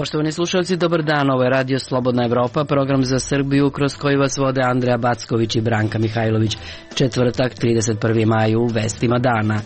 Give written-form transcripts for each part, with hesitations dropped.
Poštovani slušalci, dobar dan, ovo je Radio Slobodna Evropa, program za Srbiju kroz koji vas vode Andreja Backović i Branka Mihajlović. Četvrtak, 31. maj, u vestima dana.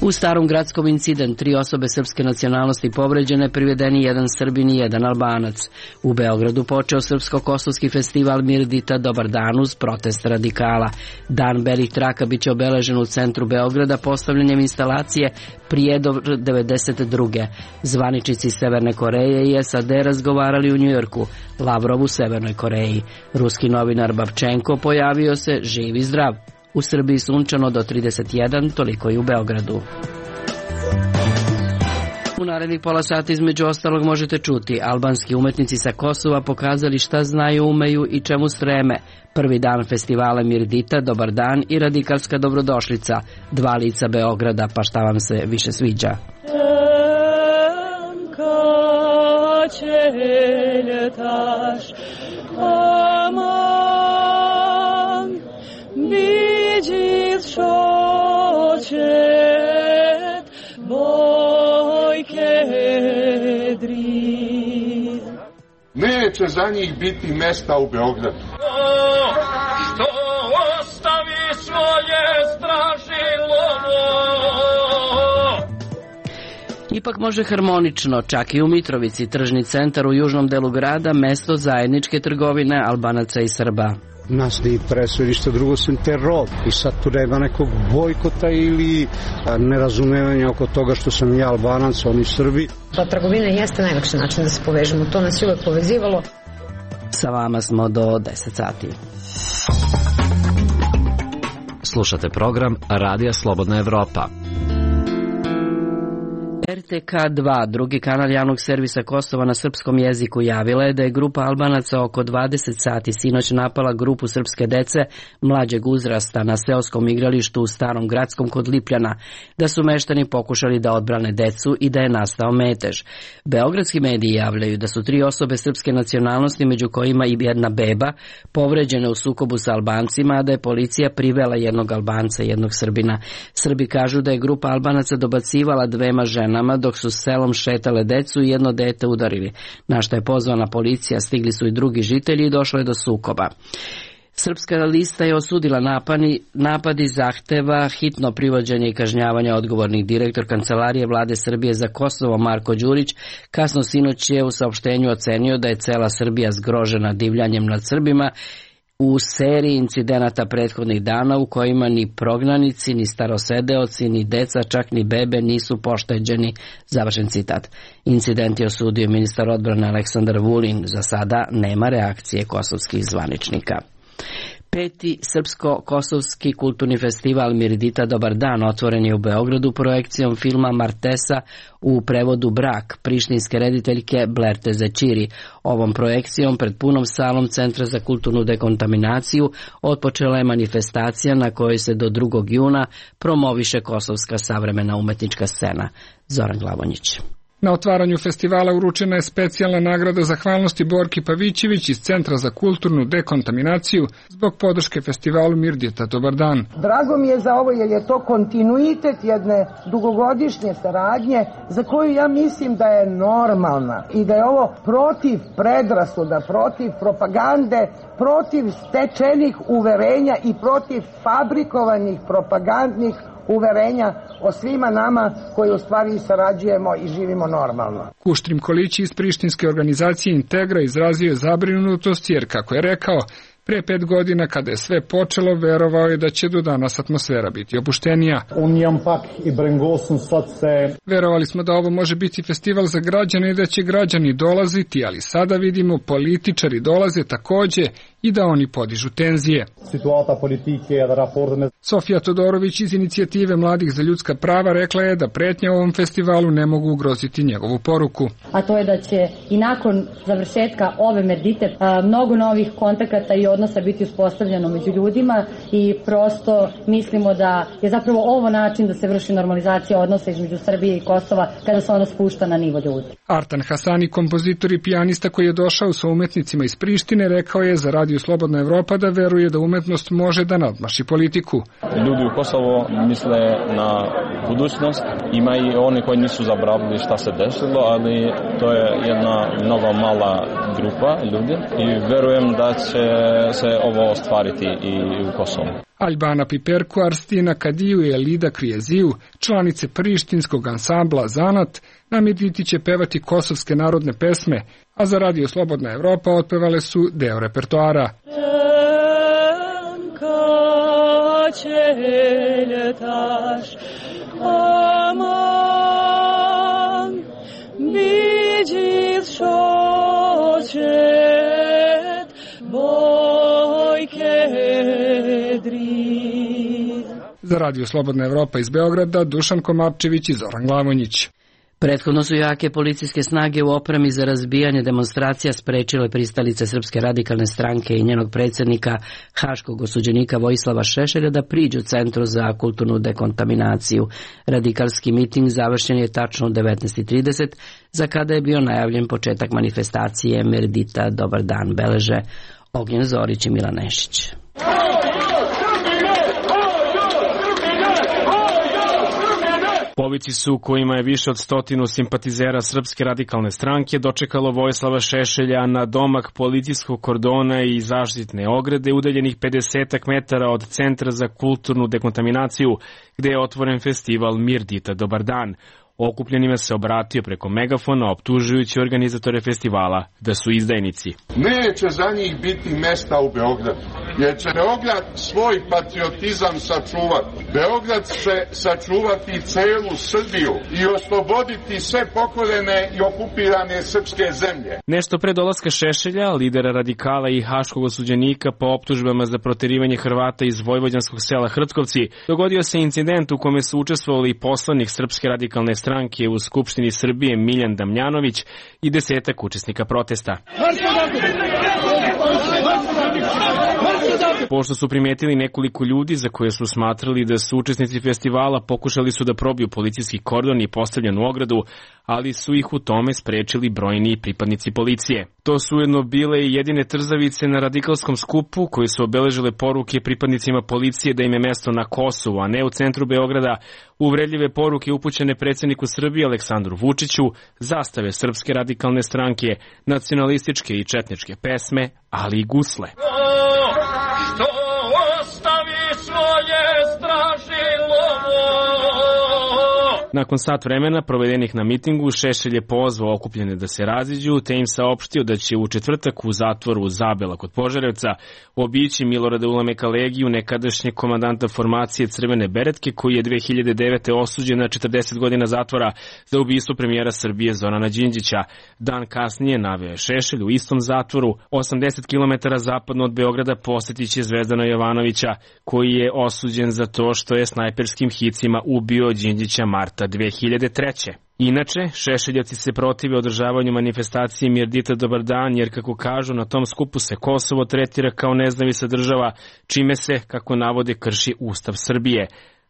U Starom Gradskom incident, 3 osobe srpske nacionalnosti povređene, privedeni jedan Srbin i jedan Albanac. U Beogradu počeo Srpsko-kosovski festival Mirdita Dobar dan uz protest radikala. Dan belih traka biće obeležen u centru Beograda postavljanjem instalacije Prijedor 92. Zvaničnici Severne Koreje i SAD razgovarali u Njujorku, Lavrov u Severnoj Koreji. Ruski novinar Babčenko pojavio se živ i zdrav. U Srbiji sunčano do 31, toliko i u Beogradu. U narednih pola sata između ostalog možete čuti: albanski umetnici sa Kosova pokazali šta znaju, umeju i čemu streme. Prvi dan festivala Mirdita, Dobar dan i radikalska dobrodošlica. 2 lica Beograda, pa šta vam se više sviđa? Neće za njih biti mesta u Beogradu. Što ostavi svoje stražilo. Ipak može harmonično, čak i u Mitrovici, tržni centar u južnom delu grada, mesto zajedničke trgovine Albanaca i Srba. Nas ne interesuje ništa drugo sem teror i sad tu nema nekog bojkota ili nerazumevanja oko toga što sam ja Albanac, oni Srbi. Pa trgovina jeste najlakši način da se povežemo, to nas je uvek povezivalo. Sa vama smo do 10 sati. Slušate program Radija Slobodna Evropa. RTK2, drugi kanal javnog servisa Kosova na srpskom jeziku, javila je da je grupa Albanaca oko 20 sati sinoć napala grupu srpske dece mlađeg uzrasta na seoskom igralištu u Starom Gradskom kod Lipljana, da su meštani pokušali da odbrane decu i da je nastao metež. Beogradski mediji javljaju da su 3 osobe srpske nacionalnosti, među kojima i jedna beba, povređene u sukobu sa Albancima, a da je policija privela jednog Albanca i jednog Srbina. Srbi kažu da je grupa Albanaca dobacivala 2 ženama dok su selom šetale decu i jedno dete udarili. Na što je pozvana policija, stigli su i drugi žitelji i došlo je do sukoba. Srpska lista je osudila napadi, zahteva hitno privođenje i kažnjavanje odgovornih. Direktor Kancelarije Vlade Srbije za Kosovo Marko Đurić kasno sinoć je u saopštenju ocenio da je cela Srbija zgrožena divljanjem nad Srbima u seriji incidenata prethodnih dana u kojima ni prognanici, ni starosedeoci, ni deca, čak ni bebe nisu pošteđeni. Završen citat. Incident je osudio ministar odbrane Aleksandar Vulin. Za sada nema reakcije kosovskih zvaničnika. 5. Srpsko-kosovski kulturni festival Mirdita Dobar dan otvoren je u Beogradu projekcijom filma Martesa, u prevodu Brak, prištinske rediteljke Blerte Zećiri. Ovom projekcijom pred punom salom Centra za kulturnu dekontaminaciju otpočela je manifestacija na kojoj se do 2. juna promoviše kosovska savremena umetnička scena. Zoran Glavonjić. Na otvaranju festivala uručena je specijalna nagrada zahvalnosti Borki Pavićević iz Centra za kulturnu dekontaminaciju zbog podrške festivalu Mirdita Dobar dan. Drago mi je za ovo jer je to kontinuitet jedne dugogodišnje saradnje za koju ja mislim da je normalna i da je ovo protiv predrasuda, protiv propagande, protiv stečenih uverenja i protiv fabrikovanih propagandnih uverenja o svima nama koji u stvari sarađujemo i živimo normalno. Kuštrim Kolići iz prištinske organizacije Integra izrazio je zabrinutost jer, kako je rekao, pre 5 godina kada je sve počelo, verovao je da će do danas atmosfera biti opuštenija. Verovali smo da ovo može biti festival za građane i da će građani dolaziti, ali sada vidimo političari dolaze takođe i da oni podižu tenzije. Sofija Todorović iz inicijative Mladih za ljudska prava rekla je da pretnje ovom festivalu ne mogu ugroziti njegovu poruku. A to je da će i nakon završetka ove Mirdite mnogo novih kontakata i odnosa biti uspostavljeno među ljudima i prosto mislimo da je zapravo ovo način da se vrši normalizacija odnosa između Srbije i Kosova kada se ono spušta na nivo ljudi. Artan Hasani, kompozitor i pijanista koji je došao sa umetnicima iz Prištine, rekao je za Radio Slobodna Evropa da veruje da umetnost može da nadmaši politiku. Ljudi u Kosovo misle na budućnost, ima i oni koji nisu zaboravili šta se desilo, ali to je jedna mnogo mala grupa ljudi i verujem da će se ovo ostvariti i u Kosovu. Albana Piperku, Arstina Kadiju i Elida Krijeziju, članice prištinskog ansambla Zanat, na Mirditi će pevati kosovske narodne pesme, a za Radio Slobodna Evropa otpevale su deo repertoara. Za Radio Slobodna Evropa iz Beograda, Dušan Komapčević i Zoran Glavonjić. Prethodno su jake policijske snage u opremi za razbijanje demonstracija sprečile pristalice Srpske radikalne stranke i njenog predsjednika, haškog osuđenika Vojislava Šešelja, da priđu Centru za kulturnu dekontaminaciju. Radikalski miting završen je tačno u 19:30, za kada je bio najavljen početak manifestacije Mirdita Dobar dan, beleže Ognjen Zorić i Milan Nešić. Povici su, kojima je više od 100 simpatizera Srpske radikalne stranke, dočekalo Vojislava Šešelja na domak policijskog kordona i zaštitne ograde udaljenih 50 metara od Centra za kulturnu dekontaminaciju, gde je otvoren festival Mirdita Dobar dan. Okupljenima se obratio preko megafona, optužujući organizatore festivala da su izdajnici. Neće za njih biti mesta u Beogradu, jer će Beograd svoj patriotizam sačuvati. Beograd će sačuvati celu Srbiju i osloboditi sve pokorene i okupirane srpske zemlje. Nešto pre dolaska Šešelja, lidera radikala i haškog osuđenika po optužbama za proterivanje Hrvata iz vojvođanskog sela Hrtkovci, dogodio se incident u kome su učestvovali poslanik Srpske radikalne stranke u Skupštini Srbije Miljan Damljanović i 10 učesnika protesta. Pošto su primetili nekoliko ljudi za koje su smatrali da su učesnici festivala, pokušali su da probiju policijski kordon i postavljenu ogradu, ali su ih u tome sprečili brojni pripadnici policije. To su ujedno bile i jedine trzavice na radikalskom skupu koji su obeležile poruke pripadnicima policije da im je mesto na Kosovu, a ne u centru Beograda, uvredljive poruke upućene predsjedniku Srbije Aleksandru Vučiću, zastave Srpske radikalne stranke, nacionalističke i četničke pesme, ali i gusle. Što ostavi svoje stražilo. Nakon sat vremena provedenih na mitingu, Šešelj je pozvao okupljene da se raziđu, te im saopštio da će u četvrtak u zatvoru u Zabela kod Požarevca obići Milorada Ulameka Legiju, nekadašnjeg komandanta formacije Crvene beretke, koji je 2009. osuđen na 40 godina zatvora za ubistvo premijera Srbije Zorana Đinđića. Dan kasnije naveo je Šešelj u istom zatvoru, 80 km zapadno od Beograda, posjetit će Zvezdana Jovanovića, koji je osuđen za to što je snajperskim hicima ubio Đinđića marta 2003. Inače, Šešeljevci se protive održavanju manifestacije Mirdita Dobar dan, jer kako kažu, na tom skupu se Kosovo tretira kao nezavisna država, čime se, kako navode, krši Ustav Srbije.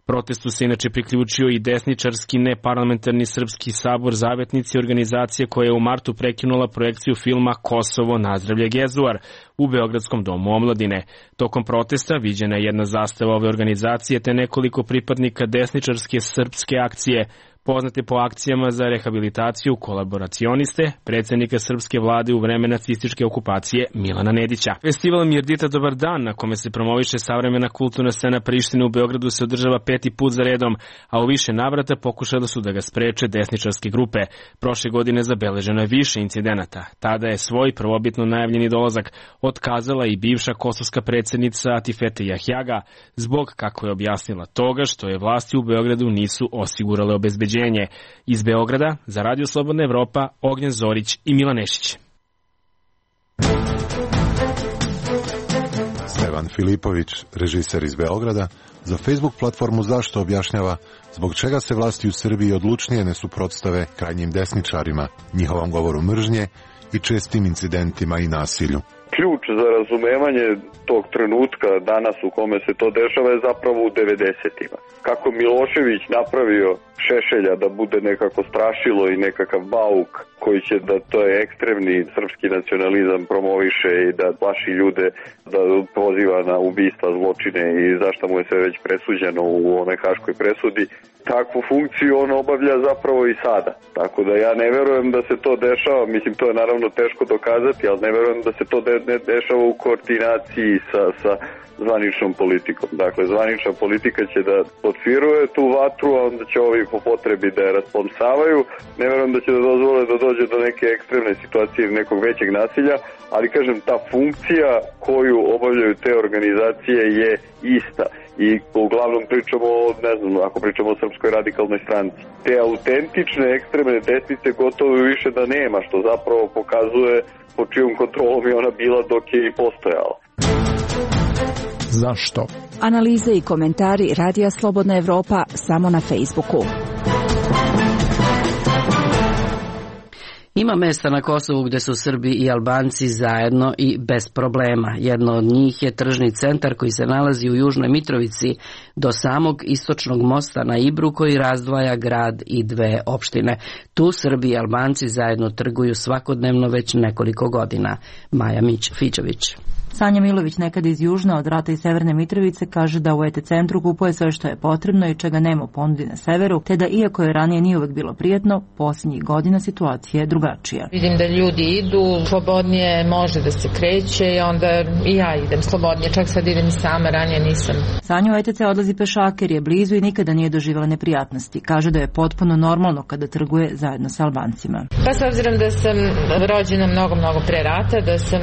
Protestu se inače priključio i desničarski neparlamentarni Srpski sabor Zavetnici, organizacije koja je u martu prekinula projekciju filma Kosovo nazdravlje Gezuar u Beogradskom domu omladine. Tokom protesta viđena je jedna zastava ove organizacije te nekoliko pripadnika desničarske srpske akcije, poznate po akcijama za rehabilitaciju kolaboracioniste, predsjednika srpske vlade u vreme nacističke okupacije Milana Nedića. Festival Mirdita Dobar dan, na kome se promoviše savremena kulturna scena Prištine u Beogradu, se održava 5. put za redom, a u više navrata pokušali su da ga spreče desničarske grupe. Prošle godine zabeleženo je više incidenata. Tada je svoj prvobitno najavljeni dolazak otkazala i bivša kosovska predsjednica Atifete Jahjaga, zbog, kako je objasnila, toga što je vlasti u Beogradu nisu osigurale obezbeđenje. Iz Beograda za Radio Slobodna Evropa, Ognjen Zorić i Milan Nešić. Stevan Filipović, režiser iz Beograda, za Facebook platformu Zašto objašnjava zbog čega se vlasti u Srbiji odlučnije ne suprotstave krajnjim desničarima, njihovom govoru mržnje i čestim incidentima i nasilju. ključ za razumevanje tog trenutka danas u kome se to dešava je zapravo u 90-ima. Kako Milošević napravio Šešelja da bude nekako strašilo i nekakav bauk koji će da to je ekstremni srpski nacionalizam promoviše i da plaši ljude, da poziva na ubistva, zločine i zašto mu je sve već presuđeno u onoj haškoj presudi. Takvu funkciju on obavlja zapravo i sada. Tako da ja ne verujem da se to dešava, mislim to je naravno teško dokazati, ali ne verujem da se to ne dešava u koordinaciji sa zvaničnom politikom. Dakle, zvanična politika će da potpiruje tu vatru, a onda će ovi po potrebi da je rasplamsavaju. Ne verujem da će da dozvole da dođe do neke ekstremne situacije ili nekog većeg nasilja, ali kažem, ta funkcija koju obavljaju te organizacije je ista. I uglavnom pričamo, ne znam, ako pričamo o Srpskoj radikalnoj stranci. Te autentične ekstremne desnice gotovo više da nema, što zapravo pokazuje po čijom kontrolom je ona bila dok je i postojala. Zašto? Analize i komentari Radija Slobodna Evropa samo na Facebooku. Ima mesta na Kosovu gde su Srbi i Albanci zajedno i bez problema. Jedno od njih je tržni centar koji se nalazi u Južnoj Mitrovici do samog istočnog mosta na Ibru koji razdvaja grad i dve opštine. Tu Srbi i Albanci zajedno trguju svakodnevno već nekoliko godina. Maja Fićović. Sanja Milović, nekada iz Južne, od Rata i Severne Mitrovice, kaže da u ET centru kupuje sve što je potrebno i čega nema u ponudi na severu, te da iako je ranije nije uvek bilo prijatno, posljednjih godina situacija je drugačija. Vidim da ljudi idu, slobodnije može da se kreće i onda i ja idem slobodnije, čak sad idem i sama, ranije nisam. Sanja u ETC odlazi pešak jer je blizu i nikada nije doživjela neprijatnosti. Kaže da je potpuno normalno kada trguje zajedno sa Albancima. Pa s obzirom da sam rođena mnogo pre rata, da sam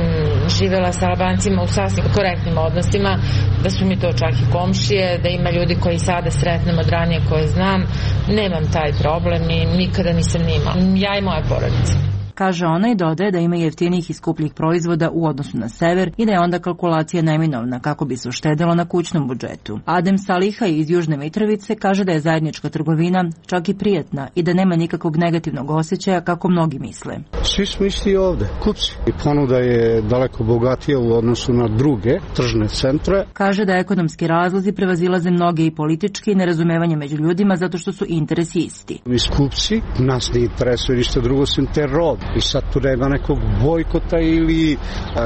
živjela sa Albancima u sasvim korektnim odnosima, da su mi to čak i komšije, da ima ljudi koji sada sretnem od ranije koje znam, nemam taj problem i nikada nisam imala. Ja i moja porodica. Kaže ona i dodaje da ima jeftinijih i skupljih proizvoda u odnosu na sever i da je onda kalkulacija neminovna kako bi se uštedelo na kućnom budžetu. Adem Saliha iz Južne Mitrovice kaže da je zajednička trgovina čak i prijatna i da nema nikakvog negativnog osjećaja kako mnogi misle. Svi smo isti ovde, kupci. I ponuda je daleko bogatija u odnosu na druge tržne centre. Kaže da ekonomski razlozi prevazilaze mnoge i politički i nerazumevanje među ljudima zato što su interesi isti. Mi kupci, nas ne interesuje ništa drugo sem teror. I sad tu nema nekog bojkota ili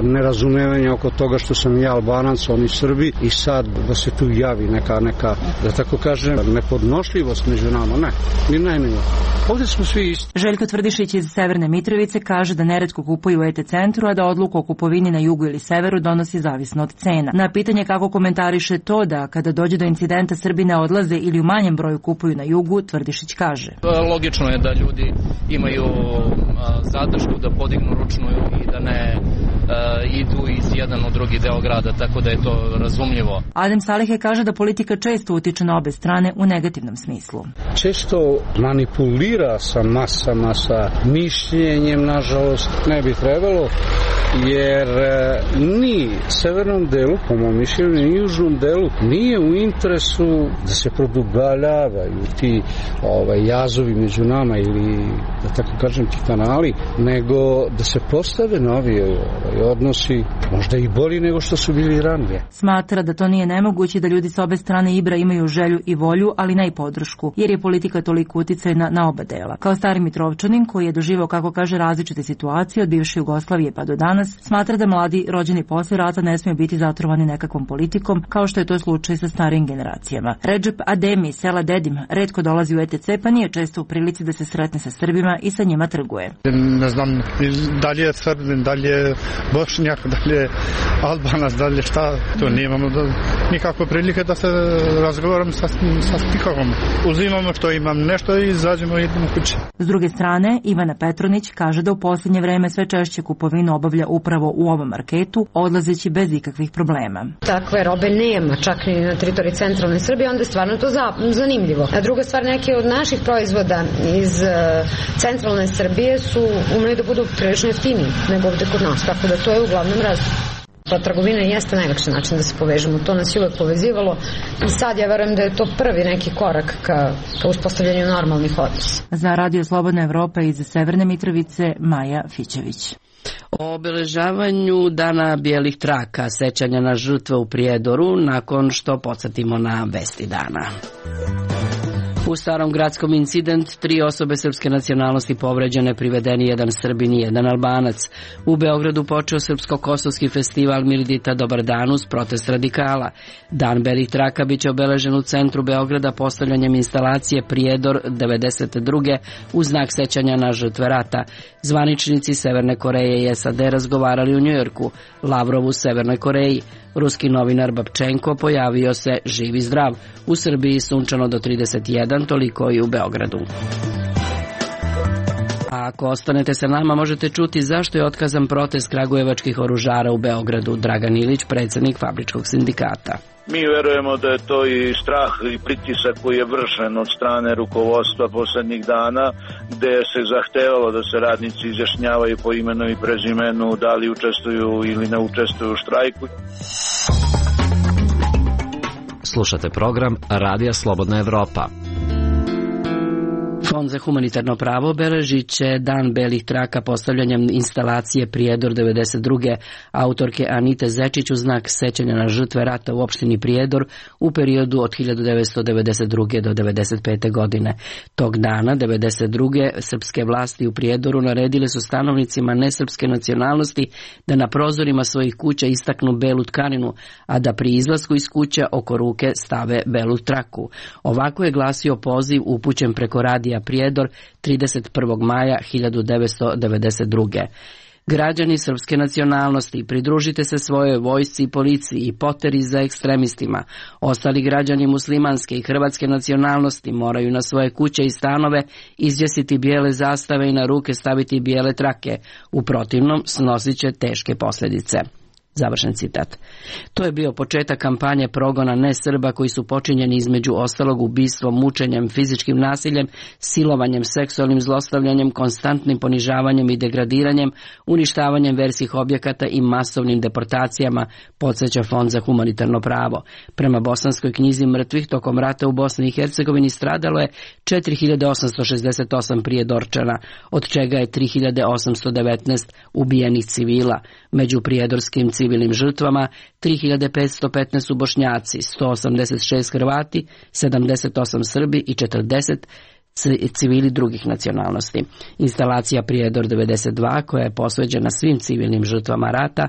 nerazumevanja oko toga što sam ja Albanac, oni Srbi i sad da se tu javi neka, da tako kažem, nepodnošljivost među nama. Ne, ni najmanje. Ovdje smo svi isti. Željko Tvrdišić iz Severne Mitrovice kaže da neretko kupuju u ET centru, a da odluku o kupovini na jugu ili severu donosi zavisno od cena. Na pitanje kako komentariše to da kada dođe do incidenta Srbi ne odlaze ili u manjem broju kupuju na jugu, Tvrdišić kaže. Logično je da ljudi imaju zadršku da podignu ručnu i da ne idu iz jedan u drugi deo grada, tako da je to razumljivo. Adem Salihe kaže da politika često utiče na obe strane u negativnom smislu. Često manipulira sa masama, sa mišljenjem, nažalost, ne bi trebalo, jer ni severnom delu, po mom mišljenju, ni južnom delu nije u interesu da se produbljavaju ti jazovi među nama ili, da tako kažem, ti kanali, nego da se postave novi odnosi, možda i bolji nego što su bili ranije. Smatra da to nije nemoguće, da ljudi sa obe strane Ibra imaju želju i volju, ali ne i podršku, jer je politika toliko uticajna na oba dela. Kao stari Mitrovčanin koji je doživao, kako kaže, različite situacije od bivše Jugoslavije pa do danas, smatra da mladi rođeni posle rata ne smiju biti zatrovani nekakvom politikom, kao što je to slučaj sa starijim generacijama. Redžep Ademi, sela Dedim, retko dolazi u ETC, pa nije često u prilici da se sretne sa Srbima i sa njima trguje. Ne znam, da li je Srbin, da li je Bošnjak, da li je Albanac, da li je šta, to nemamo nikakve prilike da se razgovaram sa nikokom. Uzimamo što imam nešto i izađemo i idemo kući. S druge strane, Ivana Petronić kaže da u posljednje vreme sve češće kupovinu obavlja upravo u ovom marketu, odlazeći bez ikakvih problema. Takve robe nema, čak ni na teritoriji centralne Srbije, onda je stvarno to zanimljivo. A druga stvar, neke od naših proizvoda iz centralne Srbije su umeli da budu prilično jeftiniji nego ovde kod nas, tako da to je uglavnom razlog. Pa trgovina jeste najlakši način da se povežemo, to nas je uvek povezivalo i sad ja verujem da je to prvi neki korak ka uspostavljanju normalnih odnosa. Za Radio Slobodna Evropa iz Severne Mitrovice, Maja Fićević. O obeležavanju Dana bijelih traka, sećanja na žrtve u Prijedoru, nakon što podsjetimo na vesti dana. U Starom gradskom incident, 3 osobe srpske nacionalnosti povređene, privedeni jedan Srbin i jedan Albanac. U Beogradu počeo Srpsko-kosovski festival Mirdita Dobar dan uz protest radikala. Dan belih traka biće obeležen u centru Beograda postavljanjem instalacije Prijedor 92. u znak sećanja na žrtve rata. Zvaničnici Severne Koreje i SAD razgovarali u Njujorku, Lavrov u Severnoj Koreji. Ruski novinar Babčenko pojavio se živ i zdrav. U Srbiji sunčano do 31, toliko i u Beogradu. A ako ostanete sa nama, možete čuti zašto je otkazan protest kragujevačkih oružara u Beogradu. Dragan Ilić, predsjednik Fabričkog sindikata. Mi verujemo da je to i strah i pritisak koji je vršen od strane rukovodstva poslednjih dana, gde se zahtevalo da se radnici izjašnjavaju po imenu i prezimenu, da li učestvuju ili ne učestvuju u štrajku. Slušate program Radija Slobodna Evropa. Fond za humanitarno pravo obeležit će Dan belih traka postavljanjem instalacije Prijedor 92. autorke Anite Zečić u znak sećanja na žrtve rata u opštini Prijedor u periodu od 1992. do 1995. godine. Tog dana, 1992. srpske vlasti u Prijedoru naredile su stanovnicima nesrpske nacionalnosti da na prozorima svojih kuća istaknu belu tkaninu, a da pri izlasku iz kuće oko ruke stave belu traku. Ovako je glasio poziv upućen preko radija Prijedor 31. maja 1992. Građani srpske nacionalnosti, pridružite se svojoj vojsci i policiji i poteri za ekstremistima. Ostali građani muslimanske i hrvatske nacionalnosti moraju na svoje kuće i stanove izvjesiti bijele zastave i na ruke staviti bijele trake. U protivnom snosit će teške posljedice. Završen citat. To je bio početak kampanje progona nesrba koji su počinjeni između ostalog ubistvom, mučenjem, fizičkim nasiljem, silovanjem, seksualnim zlostavljanjem, konstantnim ponižavanjem i degradiranjem, uništavanjem verskih objekata i masovnim deportacijama, podsjeća Fond za humanitarno pravo. Prema bosanskoj knjizi mrtvih tokom rata u Bosni i Hercegovini stradalo je 4868 prijedorčana, od čega je 3819 ubijenih civila. Među prijedorskim civilnim žrtvama 3515 su Bošnjaci, 186 Hrvati, 78 Srbi i 40 civili drugih nacionalnosti. Instalacija Prijedor 92, koja je posveđena svim civilnim žrtvama rata,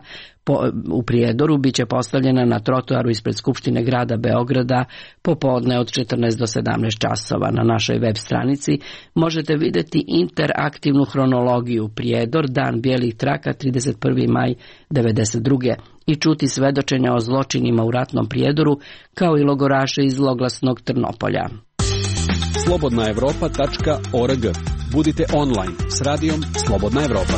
u Prijedoru biće postavljena na trotoaru ispred Skupštine grada Beograda popodne od 14 do 17 časova. Na našoj web stranici možete vidjeti interaktivnu hronologiju Prijedor, Dan bijelih traka 31. maj 1992. i čuti svedočenja o zločinima u ratnom Prijedoru, kao i logoraše iz zloglasnog Trnopolja. slobodnaevropa.org. Budite online s radijom Slobodna Evropa.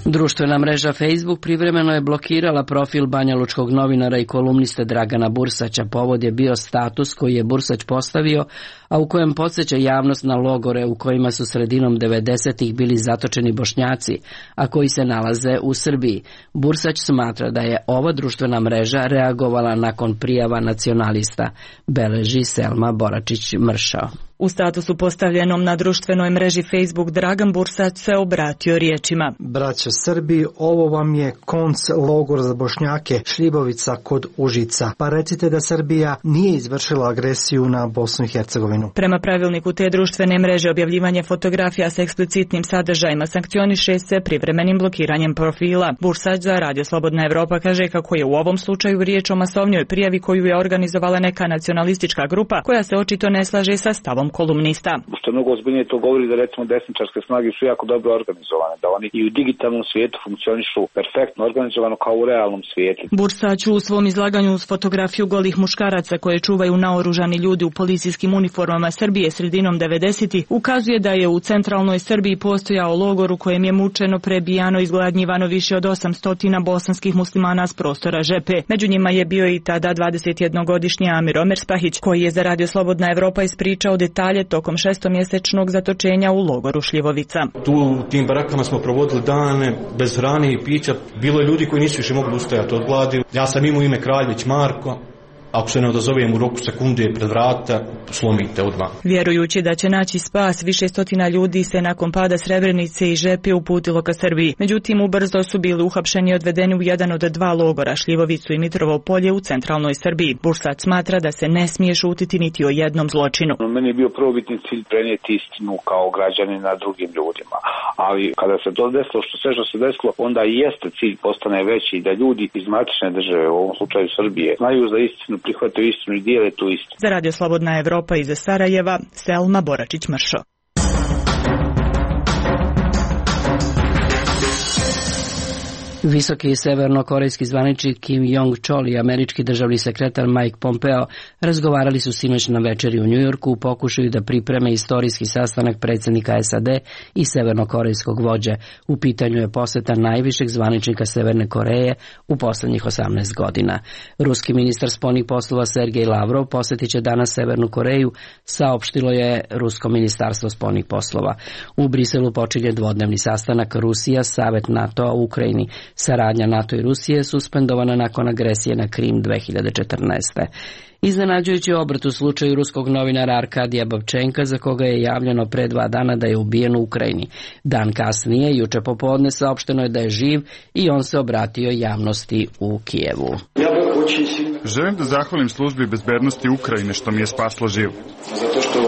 Društvena mreža Facebook privremeno je blokirala profil banjalučkog novinara i kolumniste Dragana Bursaća. Povod je bio status koji je Bursać postavio, a u kojem podsjeća javnost na logore u kojima su sredinom 90-ih bili zatočeni Bošnjaci, a koji se nalaze u Srbiji. Bursać smatra da je ova društvena mreža reagovala nakon prijava nacionalista, beleži Selma Boračić-Mršao. U statusu postavljenom na društvenoj mreži Facebook Dragan Bursać se obratio riječima: Braća Srbi, ovo vam je konc logor za Bošnjake Šljibovica kod Užica. Pa recite da Srbija nije izvršila agresiju na Bosnu i Hercegovinu. Prema pravilniku te društvene mreže objavljivanje fotografija sa eksplicitnim sadržajima sankcioniše se privremenim blokiranjem profila. Bursać za Radio Slobodna Evropa kaže kako je u ovom slučaju riječ o masovnoj prijavi koju je organizovala neka nacionalistička grupa koja se očito ne slaže sa stavom kolumnista. Što mnogo ozbiljnije to govori da recimo desničarske snage su jako dobro organizovane, da oni i u digitalnom svijetu funkcionišu perfektno organizovano kao u realnom svijetu. Bursać u svom izlaganju uz fotografiju golih muškaraca koje čuvaju naoružani ljudi u policijskim uniformama Srbije sredinom 90-ih ukazuje da je u centralnoj Srbiji postojao logor u kojem je mučeno, prebijano i izgladnjivano više od 800 bosanskih muslimana s prostora Žepe. Među njima je bio i tada 21-godišnji Amir Omerspahić koji je za Radio Slobodna Evropa ispričao detalje detalje tokom 6-mjesečnog zatočenja u logoru Šljivovica. Tu u tim barakama smo provodili dane bez hrane i pića. Bilo je ljudi koji nisu više mogli ustajati od gladi. Ja sam imao ime Kraljević Marko. Ako se ne odazovem u roku sekunde pred vrata, slomite odmah. Vjerujući da će naći spas, više stotina ljudi se nakon pada Srebrenice i Žepe uputilo ka Srbiji. Međutim, ubrzo su bili uhapšeni i odvedeni u jedan od 2 logora, Šljivovicu i Mitrovo Polje u centralnoj Srbiji. Bursac smatra da se ne smije šutiti niti o jednom zločinu. Meni je bio prvobitni cilj prenijeti istinu kao građanin na drugim ljudima. Ali kada se to desilo, što se desilo, onda i jeste cilj postane veći da ljudi iz matične države, u ovom slučaju Srbije, znaju za istinu, prihvataju istinu i dijele tu istinu. Za Radio Slobodna Evropa iz Sarajeva, Selma Boračić-Mršo. Visoki severnokorejski zvaničnik Kim Jong-chol i američki državni sekretar Mike Pompeo razgovarali su sinoć na večeri u Njujorku u pokušaju da pripreme istorijski sastanak predsjednika SAD i severnokorejskog vođe. U pitanju je poseta najvišeg zvaničnika Severne Koreje u poslednjih 18 godina. Ruski ministar spoljnih poslova Sergej Lavrov posjetit će danas Severnu Koreju, saopštilo je Rusko ministarstvo spoljnih poslova. U Briselu počinje dvodnevni sastanak Rusija, Savet NATO-a u Ukrajini. Saradnja NATO i Rusije je suspendovana nakon agresije na Krim 2014. Iznenađujući obrt u slučaju ruskog novinara Arkadija Babčenka, za koga je javljeno pre 2 dana da je ubijen u Ukrajini. Dan kasnije, juče popodne, saopšteno je da je živ i on se obratio javnosti u Kijevu. Želim da zahvalim službi bezbednosti Ukrajine što mi je spaslo život. Zato što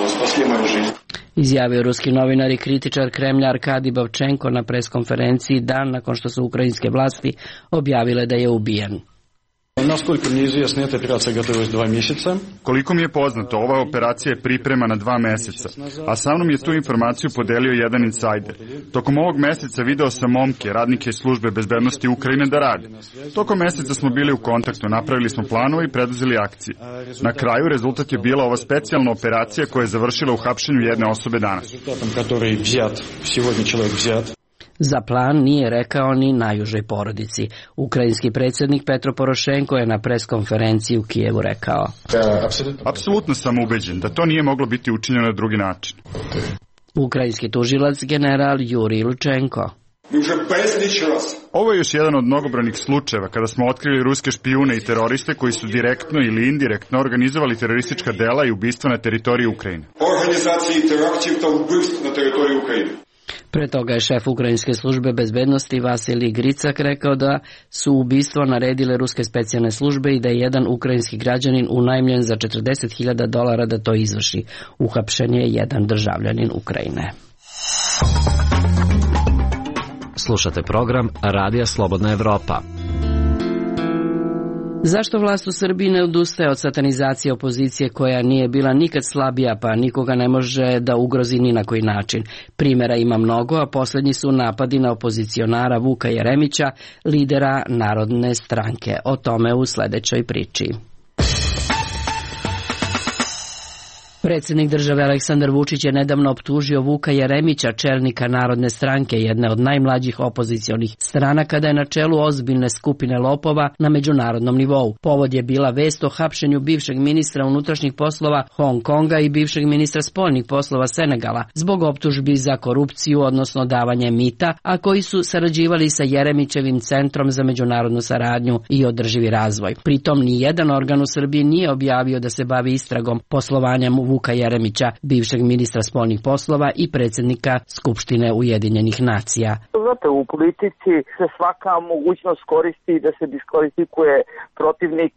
spasli moju život. Izjavio ruski novinar i kritičar Kremlja Arkadij Babčenko na preskonferenciji dan nakon što su ukrajinske vlasti objavile da je ubijen. Koliko mi je poznato, ova operacija je pripremana 2 meseca, a sa mnom je tu informaciju podelio jedan insajder. Tokom ovog meseca video sam momke, radnike službe bezbednosti Ukrajine da rade. Tokom meseca smo bili u kontaktu, napravili smo planove i preduzeli akcije. Na kraju rezultat je bila ova specijalna operacija koja je završila u hapšenju jedne osobe danas. Za plan nije rekao ni najužoj porodici. Ukrajinski predsjednik Petro Porošenko je na preskonferenciji u Kijevu rekao: Apsolutno sam ubeđen da to nije moglo biti učinjeno na drugi način. Ukrajinski tužilac general Jurij Lučenko: Ovo je još jedan od mnogobrojnih slučajeva kada smo otkrili ruske špijune i teroriste koji su direktno ili indirektno organizovali teroristička dela i ubistva na teritoriji Ukrajine. Pre toga je šef ukrajinske službe bezbednosti Vasilij Gricak rekao da su ubistvo naredile ruske specijalne službe i da je jedan ukrajinski građanin unajmljen za $40.000 da to izvrši. Uhapšen je jedan državljanin Ukrajine. Slušate program Radija Slobodna Evropa. Zašto vlast u Srbiji ne odustaje od satanizacije opozicije koja nije bila nikad slabija, pa nikoga ne može da ugrozi ni na koji način? Primjera ima mnogo, a posljednji su napadi na opozicionara Vuka Jeremića, lidera Narodne stranke. O tome u sljedećoj priči. Predsjednik države Aleksandar Vučić je nedavno optužio Vuka Jeremića, čelnika Narodne stranke, jedne od najmlađih opozicionih stranaka, da je na čelu ozbiljne skupine lopova na međunarodnom nivou. Povod je bila vest o hapšenju bivšeg ministra unutrašnjih poslova Hong Konga i bivšeg ministra spoljnih poslova Senegala zbog optužbi za korupciju, odnosno davanje mita, a koji su sarađivali sa Jeremićevim Centrom za međunarodnu saradnju i održivi razvoj. Pritom ni jedan organ u Srbiji nije objavio da se bavi istragom poslovanja Vuka Jeremića, bivšeg ministra spoljnih poslova i predsjednika Skupštine Ujedinjenih nacija. Znate, u politici se svaka mogućnost koristi da se diskvalifikuje protivnik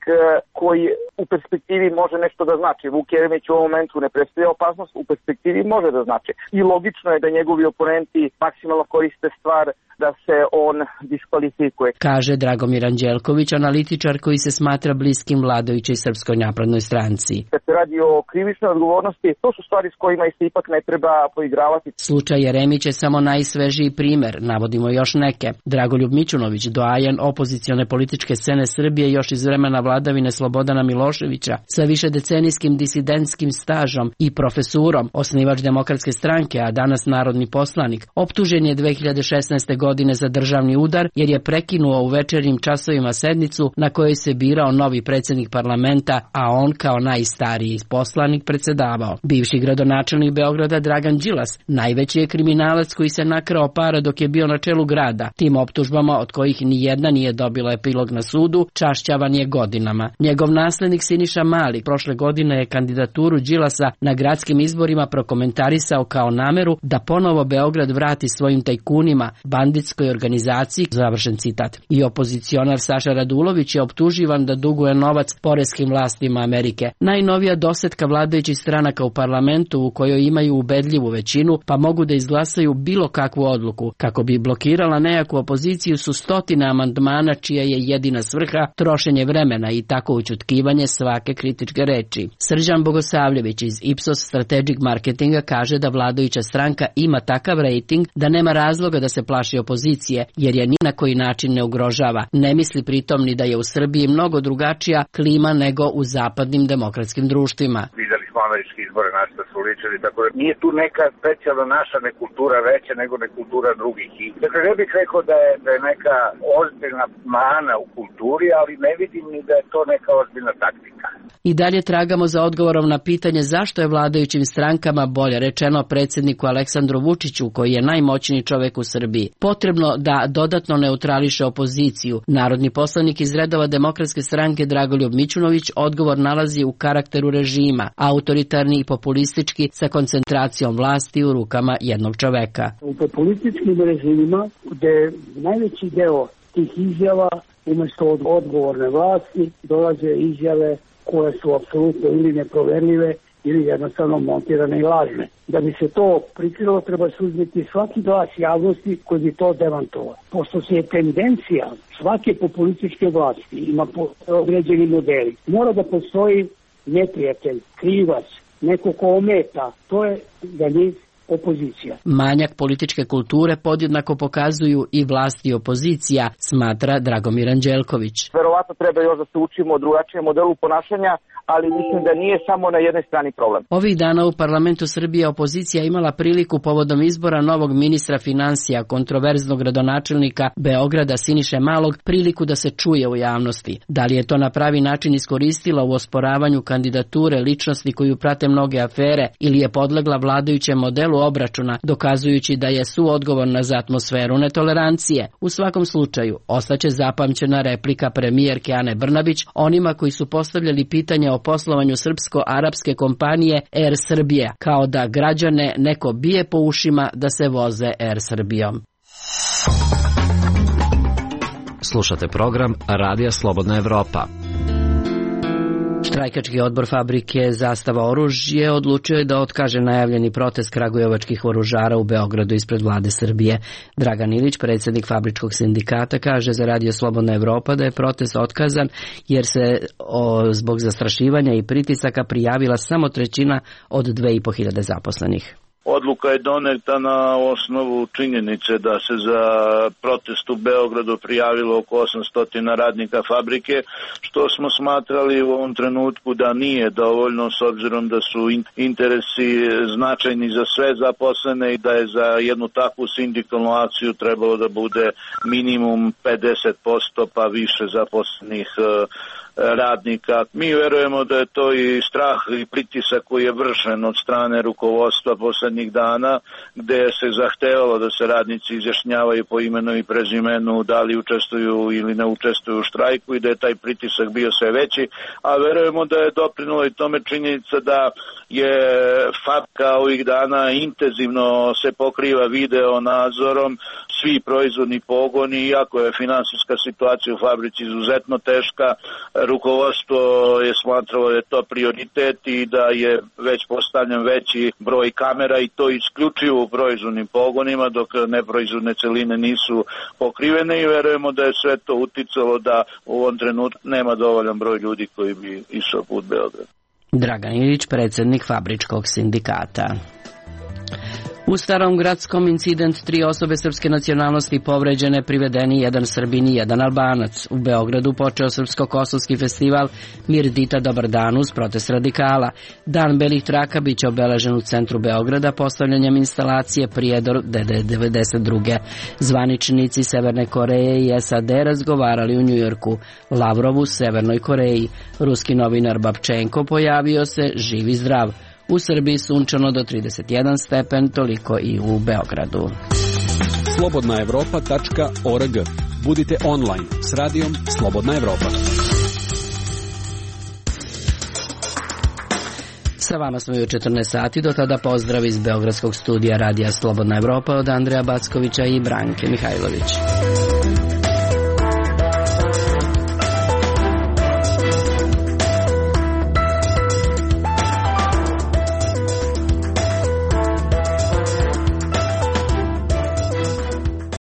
koji u perspektivi može nešto da znači. Vuk Jeremić u ovom momentu ne predstavlja opasnost, u perspektivi može da znači. I logično je da njegovi oponenti maksimalno koriste stvar da se on diskvalifikuje. Kaže Dragomir Anđelković, analitičar koji se smatra bliskim vladajućoj Srpskoj naprednoj stranci. Kad se radi o krivičnoj odgovornosti, to su stvari s kojima se ipak ne treba poigravati. Slučaj Jeremić je samo najsvežiji primer, navodimo još neke. Dragoljub Mićunović, doajen opozicione političke scene Srbije još iz vremena vladavine Slobodana Miloševića, sa višedecenijskim disidentskim stažom i profesurom, osnivač Demokratske stranke, a danas narodni poslanik, optužen je 2016. godine godine za državni udar jer je prekinuo u večernjim časovima sednicu na kojoj se birao novi predsjednik parlamenta, a on kao najstariji poslanik predsedavao. Bivši gradonačelnik Beograda Dragan Đilas najveći je kriminalac koji se nakrao para dok je bio na čelu grada. Tim optužbama, od kojih ni jedna nije dobila epilog na sudu, čašćavan je godinama. Njegov naslednik Siniša Mali prošle godine je kandidaturu Đilasa na gradskim izborima prokomentarisao kao nameru da ponovo Beograd vrati svojim tajkunima, banditskoj organizaciji, završen citat. I opozicionar Saša Radulović je optuživan da duguje novac poreskim vlastima Amerike. Najnovija dosetka vladajućih stranaka u parlamentu u kojoj imaju ubedljivu većinu pa mogu da izglasaju bilo kakvu odluku. Kako bi blokirala nejaku opoziciju su stotine amandmana čija je jedina svrha trošenje vremena i tako ućutkivanje svake kritičke reči. Srđan Bogosavljević iz Ipsos Strategic Marketinga kaže da vladajuća stranka ima takav rejting da nema razloga da se plaši opozicije jer je ni na koji način ne ugrožava. Ne misli pritom ni da je u Srbiji mnogo drugačija klima nego u zapadnim demokratskim društvima. Videli smo američki izbore na što su ličili, tako da nije tu neka specijalna naša nekultura veća nego nekultura drugih. Dakle, ne bih rekao da je neka ozbiljna mana u kulturi, ali ne vidim ni da je to neka ozbiljna taktika. I dalje tragamo za odgovorom na pitanje zašto je vladajućim strankama, bolje rečeno predsjedniku Aleksandru Vučiću, koji je najmoćniji čovek u Srbiji, potrebno da dodatno neutrališe opoziciju. Narodni poslanik iz redova Demokratske stranke Dragoljub Mićunović odgovor nalazi u karakteru režima, autoritarni i populistički sa koncentracijom vlasti u rukama jednog čoveka. U populističkim režimima gde najveći deo tih izjava umjesto od odgovorne vlasti dolaze izjave koje su apsolutno ili neproverljive ili jednostavno montirane i lažne. Da bi se to prikrilo, treba suzbiti svaki glas javnosti koji bi to demantovao. Pošto se je tendencija svake populističke vlasti, ima određeni modeli, mora da postoji neprijatelj, krivac, neko ko ometa, to je za njih opozicija. Manjak političke kulture podjednako pokazuju i vlasti i opozicija, smatra Dragomir Anđelković. Verovatno treba još da se učimo o drugačijem modelu ponašanja, ali mislim da nije samo na jednoj strani problem. Ovih dana u parlamentu Srbije opozicija imala priliku povodom izbora novog ministra finansija, kontroverznog gradonačelnika Beograda Siniše Malog, priliku da se čuje u javnosti. Da li je to na pravi način iskoristila u osporavanju kandidature ličnosti koju prate mnoge afere ili je podlegla vladajućem modelu obračuna, dokazujući da je suodgovorna za atmosferu netolerancije. U svakom slučaju, ostaće zapamćena replika premijerke Ane Brnabić onima koji su postavljali pitanje o poslovanju srpsko-arapske kompanije Air Srbije, kao da građane neko bije po ušima da se voze Air Srbijom. Slušate program Radija Slobodna Evropa. Štrajkački odbor fabrike Zastava oružje odlučio je da otkaže najavljeni protest kragujevačkih oružara u Beogradu ispred vlade Srbije. Dragan Ilić, predsjednik fabričkog sindikata, kaže za Radio Slobodna Evropa da je protest otkazan jer se zbog zastrašivanja i pritisaka prijavila samo trećina od 2500 zaposlenih. Odluka je doneta na osnovu činjenice da se za protest u Beogradu prijavilo oko 800 radnika fabrike, što smo smatrali u ovom trenutku da nije dovoljno s obzirom da su interesi značajni za sve zaposlene i da je za jednu takvu sindikalnu akciju trebalo da bude minimum 50% pa više zaposlenih radnika. Mi verujemo da je to i strah i pritisak koji je vršen od strane rukovodstva poslednjih dana, gde se zahtevalo da se radnici izjašnjavaju po imenu i prezimenu da li učestvuju ili ne učestvuju u štrajku i da je taj pritisak bio sve veći, a verujemo da je doprinula i tome činjenica da je fabrika ovih dana intenzivno se pokriva video nadzorom, svi proizvodni pogoni, iako je finansijska situacija u fabrici izuzetno teška, rukovodstvo je smatralo da je to prioritet i da je već postavljen veći broj kamera i to isključivo u proizvodnim pogonima, dok neproizvodne celine nisu pokrivene i verujemo da je sve to uticalo da u ovom trenutku nema dovoljan broj ljudi koji bi išao put Beograda. Dragan Ilić, predsjednik fabričkog sindikata. U Starom Gradskom incident, 3 osobe srpske nacionalnosti povređene, privedeni 1 Srbin i 1 Albanac. U Beogradu počeo Srpsko-kosovski festival Mirdita Dobar dan uz protest radikala. Dan belih traka biće obeležen u centru Beograda postavljanjem instalacije Prijedor DD92. Zvaničnici Severne Koreje i SAD razgovarali u Njujorku. Lavrov u Severnoj Koreji. Ruski novinar Babčenko pojavio se živ i zdrav. U Srbiji sunčano do 31 stepen, toliko i u Beogradu. Slobodnaevropa.org. Budite online s radijom Slobodna Evropa. Sa vama smo i u 14 sati, do tada pozdrav iz Beogradskog studija Radija Slobodna Evropa od Andreja Backovića i Branke Mihajlović.